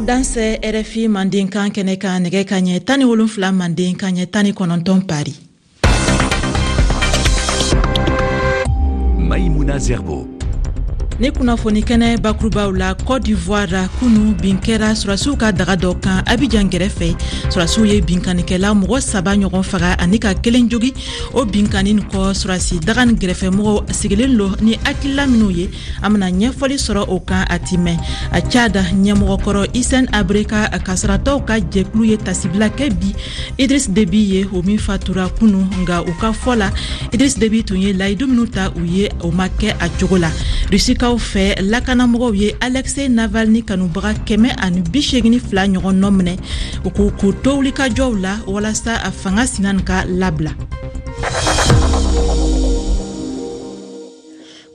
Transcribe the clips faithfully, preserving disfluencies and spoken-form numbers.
Dansɛ R F I Mandenkan kɛnɛ kan, nɛgɛ ka ɲɛ tan ni wolonfila manden ka ɲɛ tan ni kɔnɔntɔn Pari. Maïmouna Zerbo. Ni kunnafoni kɛnɛ bakurubaw la, Côte d'Ivoire, kunu bin kɛra surasiw ka daga dɔ kan Abidjan gɛrɛfɛ. Surasiw ye binkannikɛla mɔgɔ saba ɲɔgɔn faga ani ka kelen jogi. O binkanni kɔ, surasi daga ni gɛrɛfɛmɔgɔw sigilen lo ni hakilila minw ye, an bena ɲɛfɔli sɔrɔ o kan a ti mɛn. A Tchad ɲɛmɔgɔkɔrɔ Hissène Habré ka kasaratɔw ka jɛkulu ye tasibila kɛ bi Idriss Déby ye, o min fatura kunu. Nga u ka fɔ la, Idriss Déby tun ye layidu minw ta u ye, o ma kɛ a cogo la. Rusikaw fɛ, lakanamɔgɔw ye Alexei Navalny kanubaga kɛmɛ ani bi segin fila ɲɔgɔn nɔ minɛ u k'u k'u to wulikajɔw la walasa a fanga sinan ka labila.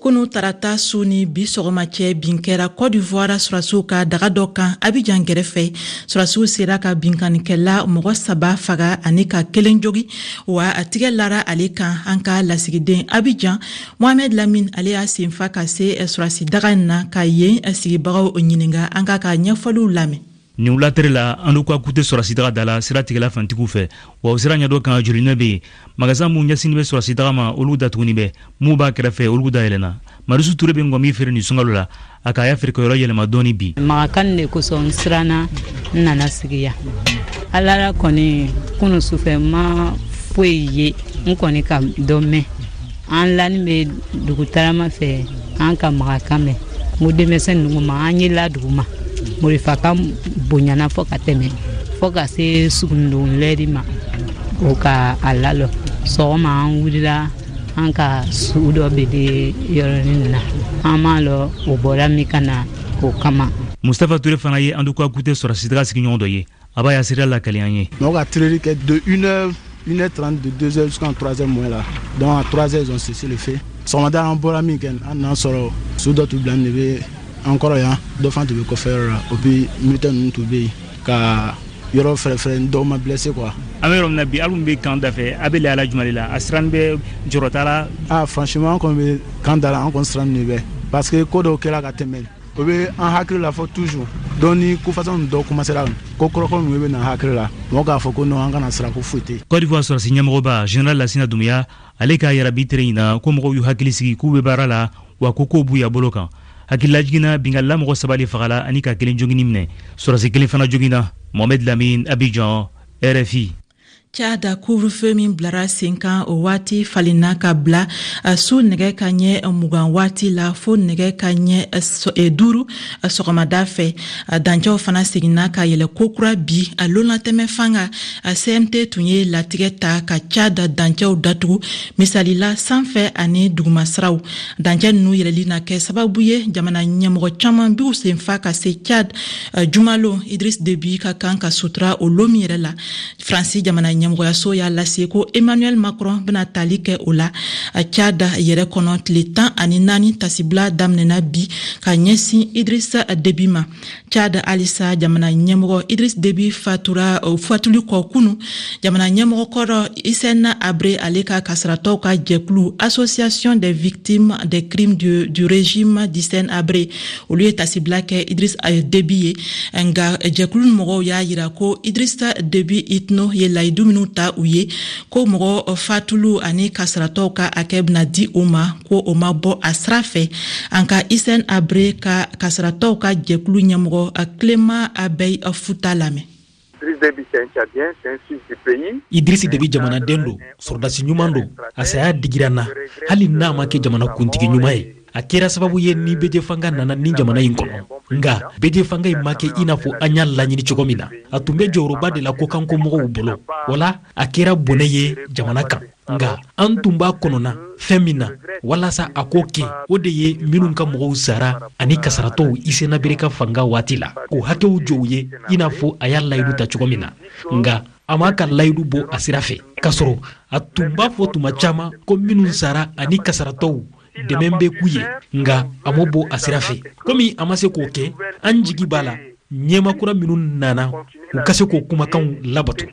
Kunu tarata su ni bi sɔgɔma cɛ, bin kɛra Côte d'Ivoire surasiw ka daga dɔ kan Abidjan gɛrɛfɛ. Surasiw sera ka binkannikɛla mɔgɔ saba faga ani ka kelen jogi, wa a tigɛ lara ale kan. An ka lasigiden Abidjan, Mohamed Lamine, ale y'a senfa ka se surasi daga in na ka yen sigibagaw ɲininga. An k'a ka ɲɛfɔliw lamɛn. Nin wulatɛri la, an ka kute sɔrɔsidaga da la, sira tigɛla fantigiw fɛ, wa o sira ɲɛdɔ kan jolinɛ be yen. Magasin mun ɲɛsini bɛ sɔrɔsidaga ma, olu datuguni bɛ. Mun b'a kɛrɛfɛ, olu dayɛlɛna. Marisu Ture bɛ ngɔmi feere nin sunkalo la. A k'a y'a feerekɛyɔrɔ yɛlɛma dɔɔni bi. Magakan de kosɔn n siranna, n nana sigi yan. Ala la kɔni, kunu sufɛ n ma foyi ye, n kɔni ka dɔ mɛn. An lani bɛ dugutarama fɛ, an ka magakan mɛn. N ko denmisɛn ninnu ma, an ye la dugu ma, morifakan bonyana fɔ ka tɛmɛ, fɔ ka se sugundon lɛri ma, o ka a lalɔ. Sɔgɔma an wulila, an ka su dɔ bele yɔrɔnin na, an m'a lɔ o bɔra min ka na o kama. Mustapha Ture fana ye Anduka Kute sɔrɔsidaga sigiɲɔgɔn dɔ ye. A b'a ya seereya lakali an ye. Mɔgɔ ka tireli kɛ de une heure, une heure trente, de deux heures jusqu'en trois heures moins là. Donc à trois heures, ils ont cessé le feu. Sɔgɔmada an bɔra min kɛ, an nana sɔrɔ su dɔ tun bila de bɛ an kɔrɔ yan, dɔ fana tun bɛ kɔfɛ yɔrɔ la. O puis militaire ninnu tun bɛ yen ka yɔrɔ fɛrɛfɛrɛ, dɔw ma blessé quoi. An bɛ yɔrɔ min na bi, hali mun bɛ kan da fɛ, a bɛ lahala jumɛn de la? A siranni bɛ, jɔrɔ t'a la? Ah, franchement, an kɔni bɛ kan da la, an kɔni siranni de bɛ, parce que ko dɔw kɛra ka tɛmɛ, o bɛ an hakili la fɔ toujours. Donc ni ko façon dɔw commencera, ko kɔrɔkɔrɔ ninnu bɛ na hakili la, mɔgɔ k'a fɔ ko non, an kana siran, ko foyi tɛ yen. Côte d'Ivoire sɔrɔsi ɲɛmɔgɔba général Lasina Doumbouya, ale k'a yira bi tere in na ko mɔgɔw y'u hakili sigi, k'u bɛ baara la, wa ko kow b'u ya bolo kan. Hakililajigin, binkanila mɔgɔ saba de fagala ani ka kelen jogini minɛ, sɔrɔsi kelen fana joginna. Mohamed Lamine, Abidjan, R F I. Tchad, couvre-feu min bilara sen kan, o waati falenna ka bila su nɛgɛ ka ɲɛ mugan waati la fo nɛgɛ ka ɲɛ duuru sɔgɔmada fɛ. Dancɛw fana seginna ka yɛlɛ kokura bi. A lonlatɛmɛ fanga C M T tun ye latigɛ ta ka Tchad dancɛw datugu, misalila sanfɛ ani dugumasiraw. Dancɛ nunu yɛlɛli na kɛ sababu ye jamana ɲɛmɔgɔ caman b'u senfa ka se Tchad jumalon. Idriss Déby ka kan ka sutura o lon min yɛrɛ la, Faransi jamana ɲɛmɔgɔyaso y'a lase ko Emmanuel Macron bena tali kɛ o la Tchad yɛrɛ kɔnɔ. Tile tan ani naani tasibila daminɛna bi ka ɲɛsin Idriss Déby ma. Tchad halisa, jamana ɲɛmɔgɔ Idriss Déby fatura fatuli kɔ kunu, jamana ɲɛmɔgɔ kɔrɔ Hissène Habré, ale ka kasaratɔw ka jɛkulu Association des victimes des crimes du, du régime d'Hissène Habré, olu ye tasibila kɛ Idriss Déby ye. Nga jɛkulu mɔgɔw y'a yira ko Idriss Déby Itno ye layidu minnu ta u ye, ko mɔgɔ fatulu ani kasaratɔw ka hakɛ bɛna di u ma, ko o ma bɔ a sira fɛ. An ka Hissène Habré ka kasaratɔw ka jɛkulu ɲɛmɔgɔ Clément Abiy Futa lamɛn. Idrisi Debi jamanaden don, sɔrɔdasi ɲuman don. A saya digira n na, hali n'a ma kɛ jamana kuntigi ɲuman ye. A kɛra sababu ye ni bɛɛ fanga nana ni jamana in kɔnɔ, nka bɛɛ fanga in ma kɛ i n'a fɔ an y'a laɲini cogo min na. A tun bɛ jɔyɔrɔba de la kokanko mɔgɔw bolo, wala a kɛra bɔnɛ ye jamana kan. Nka an tun b'a kɔnɔna fɛn min na walasa a k'o kɛ, o de ye minnu ka mɔgɔw sara ani kasaratɔw Hissène Habré ka fanga waati la, k'o hakɛw jɔ u ye i n'a fɔ a y'a layidu ta cogo min na. Nka a m'a ka layidu bɔ a sira fɛ, k'a sɔrɔ a tun b'a fɔ tuma caman ko minnu sara ani kasaratɔw, dɛmɛ bɛ k'u ye, nka a m'o bɔ a sira fɛ. Komi a ma se k'o kɛ, an jigi b'a la ɲɛma kura minnu nana, u ka se k'o kumakanw labato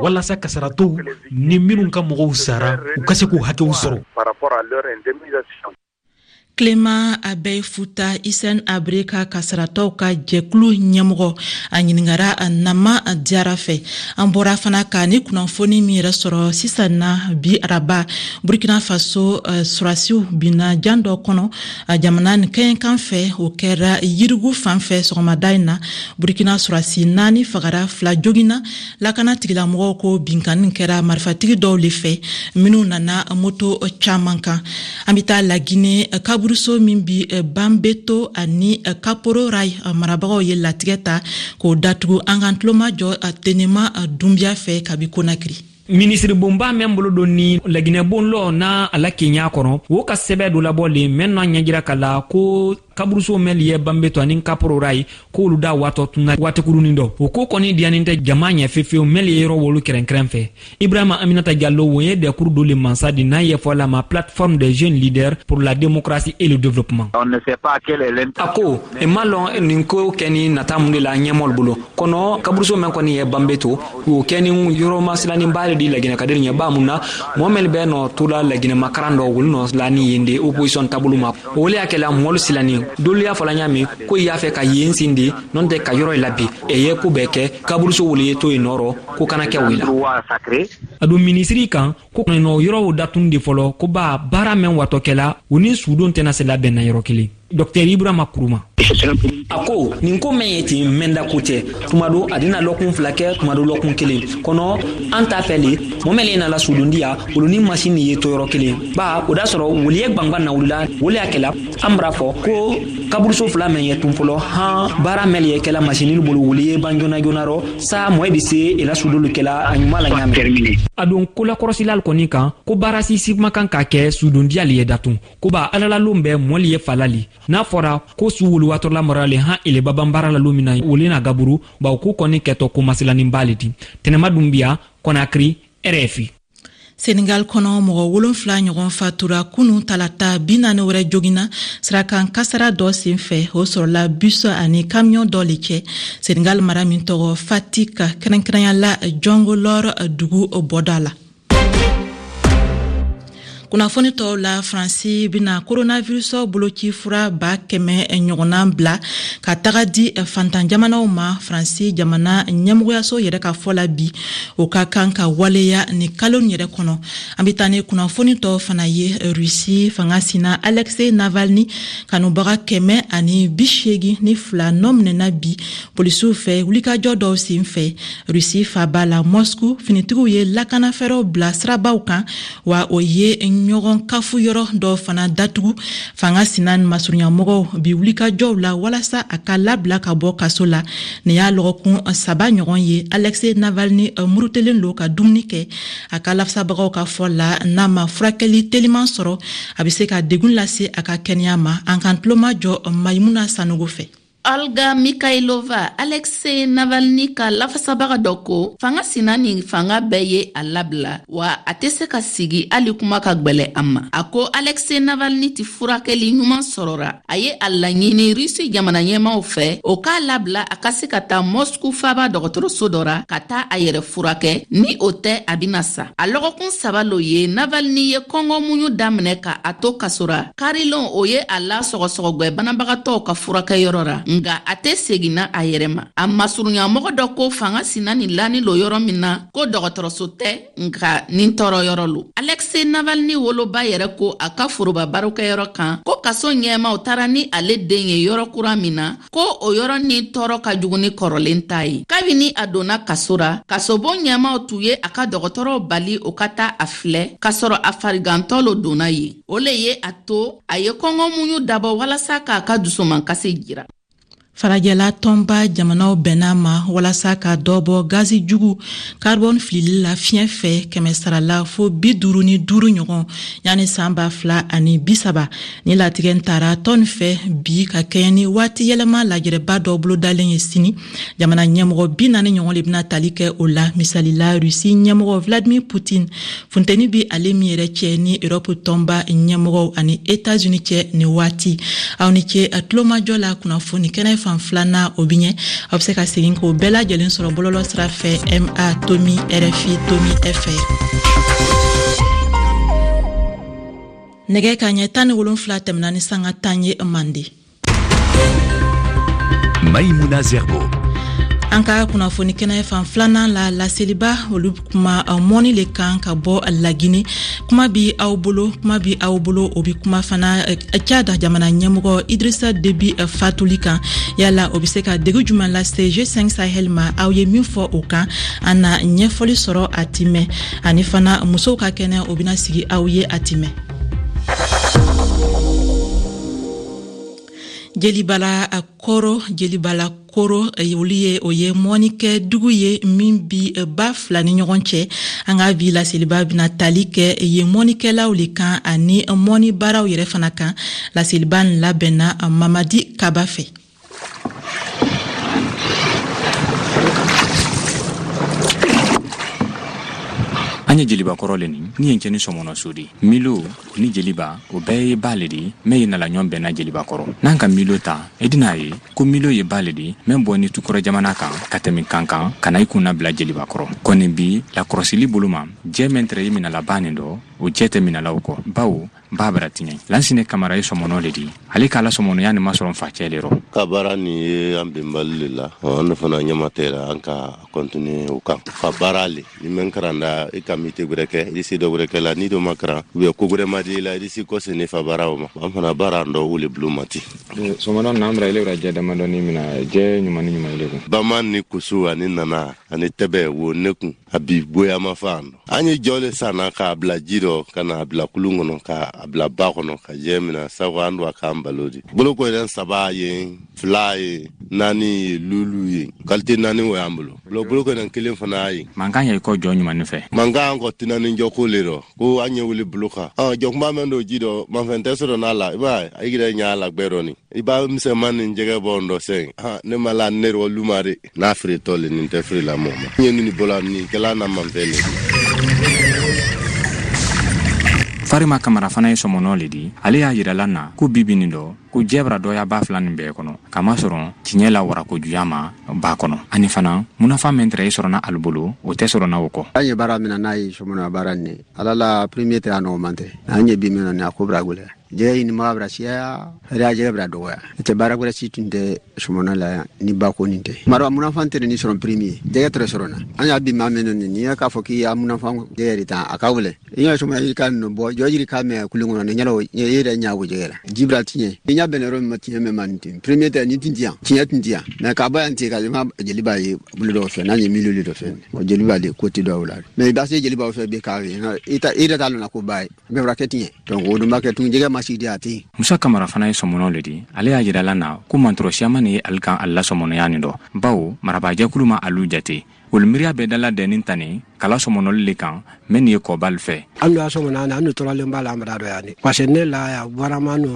walasa kasaratɔw ni minnu ka mɔgɔw sara, u ka se k'u hakɛw sɔrɔ. Clément Abeille Fouta Hissène Habré ka kasaratɔw ka jɛkulu ɲɛmɔgɔ, a ɲiningara Nama Diyara fɛ. An bɔra fana ka ni kunnafoni min yɛrɛ sɔrɔ sisan na, bi araba, Burkina Faso sɔrɔdasiw binna jan dɔ kɔnɔ jamana nin kɛɲɛkan fɛ. O kɛra Yirgu fan fɛ sɔgɔmada in na. Burkina sɔrɔdasi naani fagara, fila joginna. Lakana tigilamɔgɔw ko binkanni kɛra marifatigi dɔw le fɛ minnu nana moto caman kan. An bɛ taa Lagine, kaburuso min bi Bambeto ani Kaporo Ray, marabagaw ye latigɛ ta k'o datugu. An k'an tulomajɔ Tenema Dunbiya fɛ kabi Konakiri. Minisiri bonba mɛn bolo don ni Laginɛ bon lɔ n'a a la kenya kɔnɔ, wo ka sɛbɛ dɔ labɔ le mɛn n'a ɲɛjira ka la ko kaburuso mɛn ye Banbeto ani Kaporo Ray, k'olu da waatɔ tunna waati kurunin dɔ. O ko kɔni diyanin tɛ jama ɲɛ fefewu mɛn ye yɔrɔ wolu kɛrɛnkɛrɛn fɛ. Ibrahima Aminata Diallo, wo ye dɛkuru dɔ le mansa di n'a ɲɛfɔ la ma Plateforme des jeunes leaders pour la démocratie et le développement. On ne sait pas quelle est A ko e ma lɔn nin ko kɛ ni nata mun de la ɲɛmɔgɔlu bolo kɔnɔ. Kaburuso mɛn kɔni ye Banbeto, o kɛ ni yɔrɔ masilanin ba de di Laginɛ ka ɲɛ ba mun na mɔgɔ mɛn bɛ nɔ to la Laginɛ makaran dɔ wolu nɔ la ni yen de opposition taabolo ma. O le y'a kɛla mɔlu silanin dolu y'a fɔla ɲa min ko i y'a fɛ ka yen sin de n'o tɛ ka yɔrɔ la bi e ye ko bɛɛ kɛ kaburuso wolu ye to yen nɔrɔ ko kana kɛ o la. A don minisiri kan ko nɔ yɔrɔw datun de fɔlɔ ko ba baara mɛn watɔ kɛla u ni sudon tɛna se labɛn na yɔrɔ kelen. Docteur Ibrahima Kuruma a ko nin ko mɛn ye ten mɛnda ko tɛ tuma do a dina lɔkun fila kɛ, tuma do lɔkun kelen kɔnɔ. An t'a fɛ le mɔɔ mɛn nana sudondiya olu ni masini ye to yɔrɔ kelen ba o da sɔrɔ wuli ye gwangwan na wulila. O le y'a kɛla an bara fɔ ko kaburuso fila mɛn ye tun fɔlɔ han baara mɛn ye kɛla masini bolo wuli ye ban joona joona rɔ sa mɔɔ bi se ela sudolu kɛla a ɲuman la ɲa. A don kolakɔrɔsilal kɔni kan ko baara sisi kumakan ka kɛ sudondiyali ye datun ko ba alalalon bɛɛ mɔli ye falali n'a fɔra ko su wuluwatɔla maralen han ele baban baara la lon min na wole na gaburu bawo ko kɔni kɛtɔ ko masilanin le di. Tɛnɛma Dunbiya, Kɔnakiri, R F I. Senegal kɔnɔ, mɔgɔ wolonfila ɲɔgɔn fatura kunu talata, bi naani wɛrɛ jogina sirakan kasara dɔ sen fɛ. O sɔrɔla bus ani kamiyɔn dɔ le cɛ, Senegal mara min tɔgɔ Fatick, kɛrɛnkɛrɛnya la Djongolor dugu bɔda la. Kunnafoni tɔw la, Faransi bena coronavirus boloci fura ba kɛmɛ ɲɔgɔnna bila ka taga di fantan jamanaw ma. Faransi jamana ɲɛmɔgɔyaso yɛrɛ ka fɔ la bi, o ka kan ka waleya ni kalo yɛrɛ kɔnɔ. An be taa ni kunnafoni tɔw fana ye. Rusi fanga sina Alexei Navalny kanubaga kɛmɛ ani bi seegi ni fila nɔ minɛna bi polisiw fɛ wulikajɔ dɔw sen fɛ Rusi faba la Moscou. Finitigiw ye lakanafɛɛrɛw bila sirabaw kan, wa o ye ɲɔgɔn kafu yɔrɔ dɔw fana datugu. Fanga sina masurunyamɔgɔw bi wulikajɔw la walasa a ka labila ka bɔ kaso la. Nin y'a lɔgɔkun saba ɲɔgɔn ye Alexei Navalny murutelen lo ka dumuni kɛ. A ka lafasabagaw ka fɔ la, n'a ma furakɛli teliman sɔrɔ, a be se ka degun lase a ka kɛnɛya ma. An k'an tulomajɔ Mayimuna Sanogo fɛ. Olga Mikhailova, Alexei Navalny ka lafasabaga dɔ ko fanga sina ni fanga bɛɛ ye a labila wa a tɛ se ka sigi hali kuma ka gwɛlɛ a ma. A ko Alexei Navalny tɛ furakɛli ɲuman sɔrɔra. A ye a laɲini Rusi jamana ɲɛmaw fɛ, o k'a labila a ka se ka taa Moscou faba dɔgɔtɔrɔso dɔ ra ka taa a yɛrɛ furakɛ, ni o tɛ a bɛna sa. A lɔgɔkun saba lo ye Navalny ye kɔngɔ muɲu daminɛ ka a to kaso ra. Karilon, o ye a la sɔgɔsɔgɔgwɛ banabagatɔw ka furakɛyɔrɔ ra, nga a tɛ seginna a yɛrɛ ma. A masurunyamɔgɔ dɔ ko fanga sina nin lani lo yɔrɔ min na ko dɔgɔtɔrɔso tɛ, nka nin tɔɔrɔ yɔrɔ lo. Alexei Navalny woloba yɛrɛ ko a ka foroba barokɛyɔrɔ kan ko kaso ɲɛmaw taara ni ale den ye yɔrɔ kura min na, ko o yɔrɔ ni tɔɔrɔ ka jugu ni kɔrɔlen ta ye. Kabini a donna kaso ra, kasobon ɲɛmaw tun ye a ka dɔgɔtɔrɔw bali o ka taa a filɛ k'a sɔrɔ a farigantɔ lo donna yen. O le ye a to a ye kɔngɔ muɲu dabɔ walasa k'a ka dusumankasi jira. Farajɛla tɔnba jamanaw bɛnna ma walasa ka dɔ bɔ gazi jugu carbone filili la fiɲɛ fɛ kɛmɛ sarala fo bi duuru ni duuru ɲɔgɔn yanni san ba fila ani bi saba. Ni latigɛ tara tɔn fɛ bi ka kɛɲɛ ni waati yɛlɛma lajɛrɛba dɔ bolodalen ye sini. Jamana ɲɛmɔgɔ bi naani ɲɔgɔn le bɛna tali kɛ o la, misalila Rusi ɲɛmɔgɔ Vladimir Putin. Funteni bi ale min yɛrɛ cɛ ni Europe tɔnba ɲɛmɔgɔw ani Etats-Unis cɛ ni waati. Aw ni ce tulomajɔ la. Kunnafoni kɛnɛ fan filanan, o bi ɲɛ. Aw bɛ se ka segin k'o bɛɛ lajɛlen sɔrɔ bɔlɔlɔ sira fɛ, ma tomi R F I tomi F R. Nɛgɛ ka ɲɛ tan ni wolonfila tɛmɛna ni sanga tan ye Mande. Maïmouna Zerbo. An ka kunnafoni kɛnɛ fan filanan la, laseliba olu kuma mɔni le kan ka bɔ Lagine. Kuma bi aw bolo, kuma bi aw bolo, o bi kuma fana Tchad jamana ɲɛmɔgɔ Idrissa Déby fatuli kan. Yala o bɛ se ka degun jumɛn lase G cinq Sahel ma? Aw ye min fɔ o kan, an na ɲɛfɔli sɔrɔ a timɛ. Ani fana musow ka kɛnɛ, o bɛna sigi aw ye a timɛ. Jelibala Koro, Jelibala Koro, olu ye o ye mɔnikɛ dugu ye min bi ba fila ni ɲɔgɔn cɛ. An ka bi laseliba bɛna tali kɛ yen mɔnikɛlaw le kan ani mɔni baaraw yɛrɛ fana kan. Laseliba nin labɛnna Mamadi Kaba fɛ. An ye jeliba kɔrɔ le nin ni yen cɛ ni sɔmɔnɔ so de milo ni jeliba o bɛɛ ye ba le de mɛ ye nala ɲɔgɔn bɛnna jeliba kɔrɔ. N'an ka milo ta, i dina ye ko milo ye ba le de mɛ bɔ ni tukɔrɔ jamana kan ka tɛmɛ kan kan ka na i kunna bila jeliba kɔrɔ. Kɔni bi lakɔrɔsili bolo ma, jɛ mɛn tɛrɛ ye minala ba nin dɔ, o jɛ tɛ minalaw kɔ, bawo ba bara tiɲɛ. Lansine Kamara ye sɔmɔnɔ le di, ale k'a la sɔmɔnɔya nin ma sɔrɔ facɛ le rɔ. Ka baara nin ye an bɛnbali le la, an fana ɲɛma tɛ la, an ka continuer o kan. Fa baara le ni mɛn karanda i ka mite gwɛrɛ kɛ, i se dɔ gwɛrɛ kɛ la, ni dɔ ma karan ou bien ko gwɛrɛ ma di i la, i si kɔse ne fa baara o ma. An fana baara an dɔ o le bulon ma ten. Sɔmɔnɔ n'an bara ile bara jɛ damadɔni mina, jɛ ɲuman ni ɲuman ile kun. Bama ni kusu ani nana ani tɛbɛ wo ne kun, a bi goya ma fa an dɔ. An ye jɔ le sanna k'a bila ji dɔ ka na a bila kulun kɔnɔ ka a bila ba kɔnɔ ka jɛ mina sabu an don a k'an balo di. Boloko yɛrɛ saba ye, fila ye, naani ye, lulu ye, kalite naani o y'an bolo. Boloko yɛrɛ kelen fana ye. Mankan yɛ kɔ jɔ ɲuman fɛ. Mankan an kɔ tɛna jɔ ko le rɔ ko an ye wuli bolo kan. Ɔ jɔkunba mɛn don ji dɔ manfɛn tɛ sɔrɔ n'a la, i b'a ye a yɛrɛ ɲa la gbɛ dɔɔni. I b'a misɛnman ni jɛgɛ bɔ n dɔ sɛn. Han ne ma la ne rɔ luma de. N'a feere tɔ le nin tɛ feere la mɔgɔ ma. N ye nin bɔla nin kɛla na manfɛn le. Farima Kamara fana ye sɔmɔnɔ le di, ale y'a yirala na ko bibi nin dɔ ko jɛ bara dɔya ba fila nin bɛɛ kɔnɔ, kamasɔrɔ tiɲɛ la warakojuya ma ba kɔnɔ. Ani fana munafa min tɛrɛ ye sɔrɔna alu bolo, o tɛ sɔrɔna o kɔ. An ye baara min na n'a ye sɔmɔnɔya baara nin ye, ala la premier tɛ a nɔgɔman tɛ. An ye bi min na nin a ko bara gwɛlɛya. Jɛgɛ ɲinibaga bara siya, hɛrɛ jɛgɛ bara dɔgɔya. Tɛ baara gwɛrɛ si tun tɛ sɔmɔnɔ la yan ni ba ko nin tɛ. Mara munafan tɛ nin sɔrɔ premier, jɛgɛ tɛrɛ sɔrɔ na. An y'a bi maa min nin, n'i y'a k'a fɔ k'i y'a munafan jɛgɛ de ta, a ka wele. I y'a sɔmɔnɔ yiri ka ninnu bɔ, jɔ yiri ka mɛn kulun kɔnɔ, ni ɲɛna i yɛrɛ ɲa o jɛgɛ la. Ji bara tiɲɛ. I ɲa bɛn yɔrɔ min ma tiɲɛ mɛn ma nin ten. Premier tɛ nin tun ti yan, tiɲɛ tun ti yan. Mais k'a bɔ yan ten ka ma jeliba ye bolo dɔw fɛ, n'a ye miliyɔn dɔ fɛ. O jeliba de ko tɛ dɔw la. Mais i b'a se jelibaw fɛ bi k'a ye, i ta i yɛrɛ t'a lɔn na ko ba ye. Bɛɛ bara kɛ tiɲɛ. Donc o dun b'a kɛ tun jɛgɛ ma si di a tɛ yen. Musa Kamara fana ye sɔmɔnɔ le di, ale y'a yirala na ko mantɔrɔ siyaman ye ale kan ale la sɔmɔnɔya nin dɔ, bawo marabaajɛkulu ma alu jate. Olu miiriya bɛɛ dala dɛnni tani kala sɔmɔnɔli le kan mɛ nin ye kɔbali fɛ. An dun y'a sɔmɔnɔ an tɔrɔlen b'a la an bara dɔ yan de. Parce que ne la yan warama nu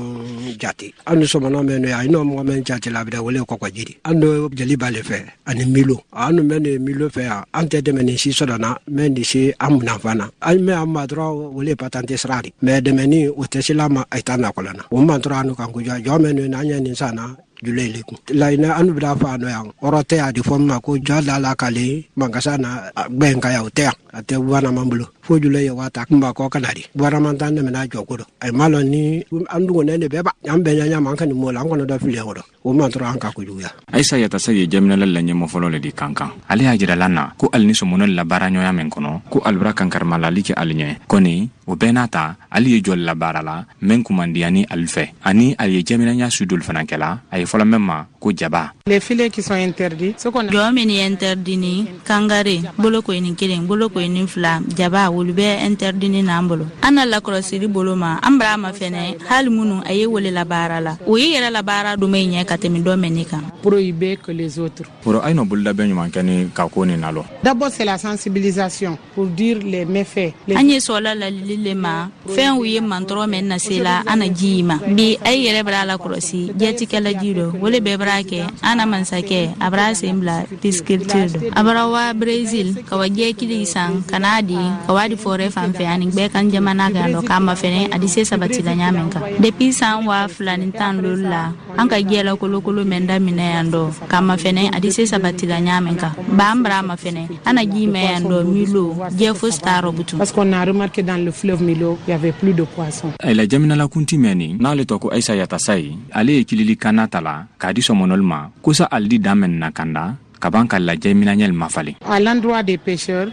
jate. An dun sɔmɔnɔ mɛn yan, i n'o mɔgɔ mɛn jate la a bɛ wele kɔkɔji de. An dun jeliba le fɛ ani milo. An dun bɛ nin milo fɛ yan, an tɛ dɛmɛ nin si sɔrɔ na, mɛ nin si an munafan na. An mɛ an ma dɔrɔn wele patante sira de. Mɛ dɛmɛni o tɛ se la ma a t'a nakɔlɔn na. O man tɔrɔ an kan ko jɔ jɔ mɛn n'an ye nin san na. Jule le kun. Laɲinɛ an bɛna fɔ a nɔ yan kɔrɔ tɛ a di fɔ min ma ko jɔ da la k'ale mankasa na gbɛn ka yan o tɛ yan a tɛ gouvernement bolo fo jule ye waa ta kunba kɔ kana di gouvernement t'an dɛmɛ n'a jɔ ko dɔ a ma lɔn ni an dugunen de bɛɛ ba an bɛɛ ɲɛ ɲɛ an ka nin mɔ la an kɔnɔ dɔ fili o dɔ o man tɔrɔ an ka kojuguya. Ayisa Yatasa ye jɛminɛla la ɲɛmɔ fɔlɔ le di kankan. Ale y'a jirala na ko ali ni sɔmɔnɔ la baaraɲɔgɔnya min kɔnɔ ko ali bara kankarimalali kɛ ali ɲɛ kɔni o bɛɛ n'a ta ali ye jɔli la baara la mɛn kumandiya ni ali fɛ ani ali ye jɛminɛnya su dolu fana kɛla a ye fɔlɔ mɛn ma ko jaba. Les filets qui sont interdits. Jɔ min ye interdit ni kangare boloko ni kelen boloko ni fila jaba olu bɛ interdit ni n'an bolo. An na lakɔlɔsili bolo ma an bara ma fɛnɛ hali minnu a ye wele la baara la o ye yɛrɛ la baara dɔ min ɲɛ ka tɛmɛ dɔ mɛn ne kan. Prohibé que les autres. Oro ay no bololabɛn ɲuman kɛ ni ka ko nin na lɔ. D'abord c'est la sensibilisation pour dire les méfaits. An ye sɔla lalili le ma fɛn u ye mantɔrɔ mɛn na se la an na ji ma bi a ye yɛrɛ bara lakɔlɔsi jɛtikɛla ji dɔ wele bɛɛ bara bara kɛ an na mansakɛ a bara sen bila pisciculture dɔ. A bara wa Brésil ka wa jɛkili san ka n'a di ka wa di forêt fan fɛ ani gbɛkan jamana kan dɔ k'a mafɛnɛ a di se sabati la ɲa min kan. Depuis san waa fila ni tan lolu la an ka jɛ la kolokolo mɛn daminɛ yan dɔ k'a mafɛnɛ a di se sabati la ɲa min kan. Ba an bara mafɛnɛ an na ji mɛn yan dɔ Milo jɛ fosi t'a rɔ butun. Parce qu'on a remarqué dans le fleuve Milo, il y avait plus de poissons. La jamanalakunti mɛn nin n'ale tɔ ko Ayisa Yatasayi, ale ye kilili kanna ta la k'a di sɔmɔnɔli ma ko sa ali di dan mɛn na kanda ka ban ka lajɛ minɛɲɛli ma falen. À l'endroit des pêcheurs,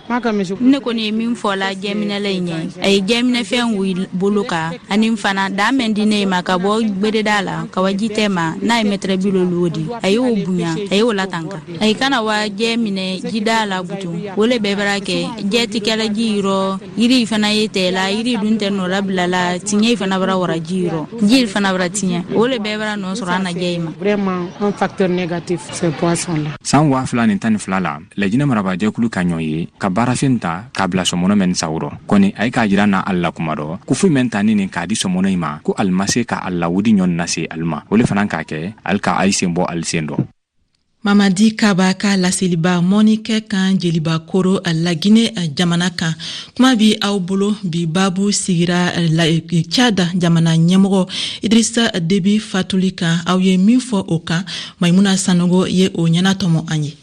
ne kɔni ye min fɔ la jɛminɛla in ɲɛ, a ye jɛminɛfɛn wuli bolo kan ani fana dan mɛn di ne ma ka bɔ gbereda la ka wa ji tɛ ma n'a ye mɛtɛrɛ bi loolu di, a y'o bonya a y'o latanka. A ye kana wa jɛ minɛ jida la butun o le bɛɛ bara kɛ jɛ ti kɛla ji yɔrɔ, yiri fana ye tɛ la, yiri dun tɛ nɔ labila la, tiɲɛ fana bara wara ji yɔrɔ, ji fana bara tiɲɛ, o le bɛɛ bara nɔ sɔrɔ an na jɛ in ma. Vraiment un facteur négatif ces poissons là. San waa fila ni tan ni fila la, Lajinɛ marabajɛkulu ka ɲɔ ye ka baarafin ta k'a bila sɔmɔnɔ mɛn sawurɔ kɔni a ye k'a jira n'a ali la kuma dɔ ko foyi mɛn ta ni nin k'a di sɔmɔnɔ in ma ko ali ma se ka ali lawudi ɲɔ nase ali ma, o le fana k'a kɛ ali ka ayi sen bɔ ali sen dɔ. Mamadi Kaba ka laseliba mɔnikɛ kan Jeliba Koro Lagine jamana kan. Kuma bi aw bolo bi babu sigira Tchad jamana ɲɛmɔgɔ Idrissa Déby fatuli kan. Aw ye min fɔ o kan, Maimuna Sanogo ye o ɲɛnatɔmɔ an ye.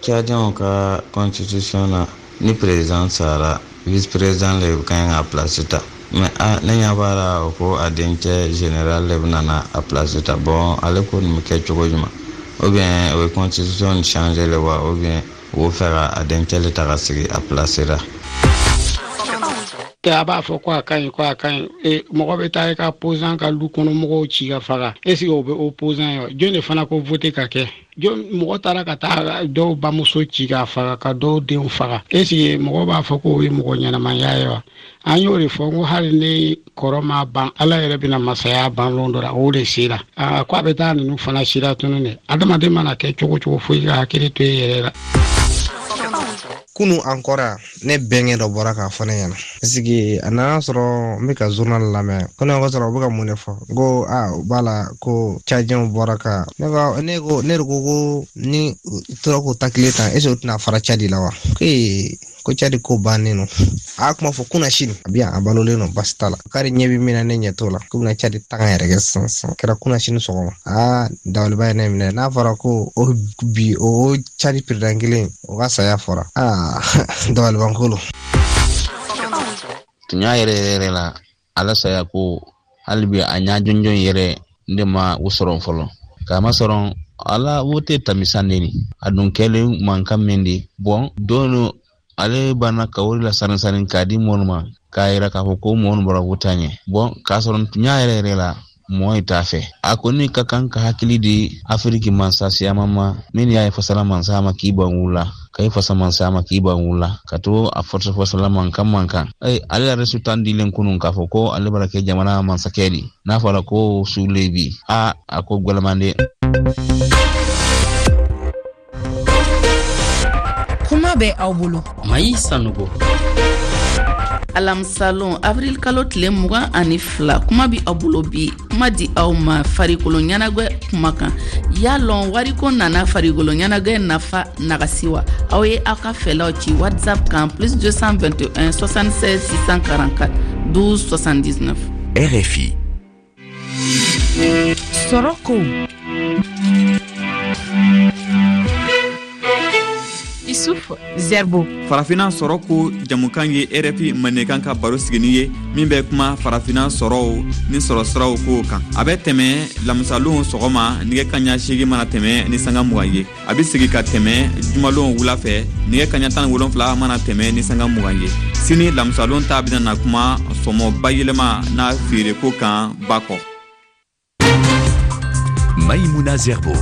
Tchadiens ka constitution na, ni président sara, vice président le kan ka place ta. Mais a ne ɲɛ b'a la o ko a dencɛ général le bɛna na a place ta. Bon, ale ko nin bɛ kɛ cogo jumɛn? Ou bien o ye constitution changer le wa, ou bien o fɛ ka a dencɛ le ta ka sigi a place la. A b'a fɔ ko a ka ɲi ko a ka ɲi, e mɔgɔ bɛ taa i ka opposant ka lu kɔnɔ mɔgɔw ci ka faga, est ce que o bɛ opposant ye wa? Jɔn de fana ko voter ka kɛ? Jɔn mɔgɔ taara ka taa dɔw bamuso ci ka faga ka dɔw denw faga, est ce que mɔgɔ b'a fɔ k'o ye mɔgɔ ɲɛnamaya ye wa? An y'o de fɔ n ko hali ni kɔrɔ ma ban, Ala yɛrɛ bɛna masaya ban lon dɔ la, o de sera. Aa ko a bɛ taa ninnu fana sira tunu dɛ. Adamaden mana kɛ cogo cogo fo i ka hakili to i yɛrɛ la. Kunu an kɔrɔ ne bɛnkɛ dɔ bɔra k'a fɔ ne ɲɛna sigi a nana sɔrɔ n bɛ ka journal lamɛn ko ne ko sɔrɔ u bɛ ka mun de fɔ n ko a u b'a la ko Tchadiens bɔra ka ne ko ne ko ne de ko ko ni tora k'o takile tan est ce que u tɛna fara Tchad la wa? Ko ee ko Tchad ko bannen no. A kuma fɔ kunna sini a bɛ yan a balolen no basi t'a la k'ale ɲɛ bɛ min na ne ɲɛ t'o la k'u bɛna Tchad taga yɛrɛ kɛ sisan sisan kɛra kunna sini sɔgɔma. Aa dabaliba ye ne minɛ n'a fɔra ko o bi o Tchad président kelen o ka saya fɔra aa dabalibanko lo. Tunya yɛrɛ yɛrɛ la ala saya ko hali bi a ɲa jɔnjɔn yɛrɛ ne ma o sɔrɔ fɔlɔ k'a ma sɔrɔ ala o tɛ tamisan de ni a dun kɛlen mankan min de bɔn don ale banna ka wari la sani sani k'a di mɔnu ma k'a yira k'a fɔ ko mɔnu bɔra ko taa ɲɛ bɔn k'a sɔrɔ tunya yɛrɛ yɛrɛ la mɔɔ t'a fɛ a kɔni ka kan ka hakili di Afiriki mansa siyaman ma min y'a ye fasala mansa ma k'i ban wula ka i fasa mansa ma k'i ban wula ka to a fɔsɔ fɔsɔla mankan mankan ee ale yɛrɛ sultan dilen kunun k'a fɔ ko ale bara kɛ jamana mansakɛ di n'a fɔra ko sule bi a a ko gwɛlɛmanden. Kuma bɛ aw bolo Mayi Sanogo. Alamisalon avril kalo tile mugan ani fila, kuma bi aw bolo bi kuma di aw ma farikolo ɲɛnagwɛ kuma kan. Y'a lɔn wariko nana farikolo ɲɛnagwɛ nafa nagasi wa? Aw ye aw ka fɛlaw ci WhatsApp kan plus deux cent vingt et un soixante-seize six cent quarante-quatre douze soixante-dix-neuf. R F I. Sɔrɔko Issouf Zerbo. Farafina sɔrɔ ko jamukan ye R F I mandenkan ka baro sigini ye min bɛ kuma farafina sɔrɔw ni sɔrɔsiraw kow kan. A bɛ tɛmɛ lamisalon sɔgɔma nɛgɛ kaɲa seegin mana tɛmɛ ni sanga mugan ye. A bɛ sigi ka tɛmɛ jumalon wula fɛ nɛgɛ kaɲa tan ni wolonfila mana tɛmɛ ni sanga mugan ye. Sini lamisalon ta bɛna na kuma sɔmɔ bayɛlɛma n'a feereko kan ba kɔ. Maïmouna Zerbo.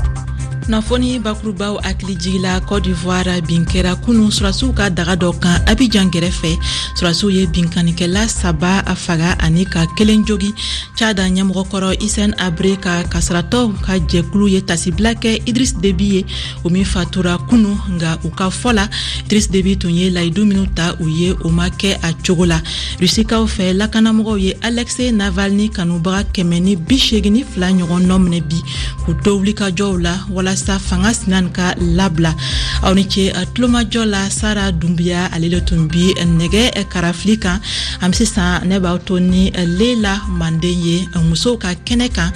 Kunnafoni bakurubaw hakili jigila, Cote d'Ivoire, bin kɛra kunu sɔrɔdasiw ka daga dɔ kan Abidjan gɛrɛfɛ. Sɔrɔdasiw ye binkannikɛla saba faga ani ka kelen jogi. Tchad ɲɛmɔgɔkɔrɔ Hissène Habré ka kasaratɔw ka jɛkulu ye tasibila kɛ Idriss Déby ye, o min fatura kunu. Nga u ka fɔ la, Idriss Déby tun ye layidu minw ta u ye, o ma kɛ a cogo la. Rusikaw fɛ, lakanamɔgɔw ye Alexei Navalny kanubaga kɛmɛ ni bi seegin ni fila ɲɔgɔn nɔ minɛ bi k'u to wulikajɔw la walasa fanga sinan ka labila. Aw ni ce tulomajɔ la. Sara Dunbiya, ale le tun bi nɛgɛ karafili kan. An bɛ sisan, ne b'aw to ni Lela Manden ye musow ka kɛnɛ kan.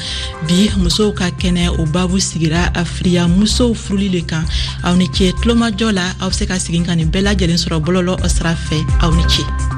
Bi musow ka kɛnɛ, o babu sigira firiya musow furuli le kan. Aw ni ce tulomajɔ la. Aw bɛ se ka segin ka nin bɛɛ lajɛlen sɔrɔ bɔlɔlɔ sira fɛ. Aw ni ce.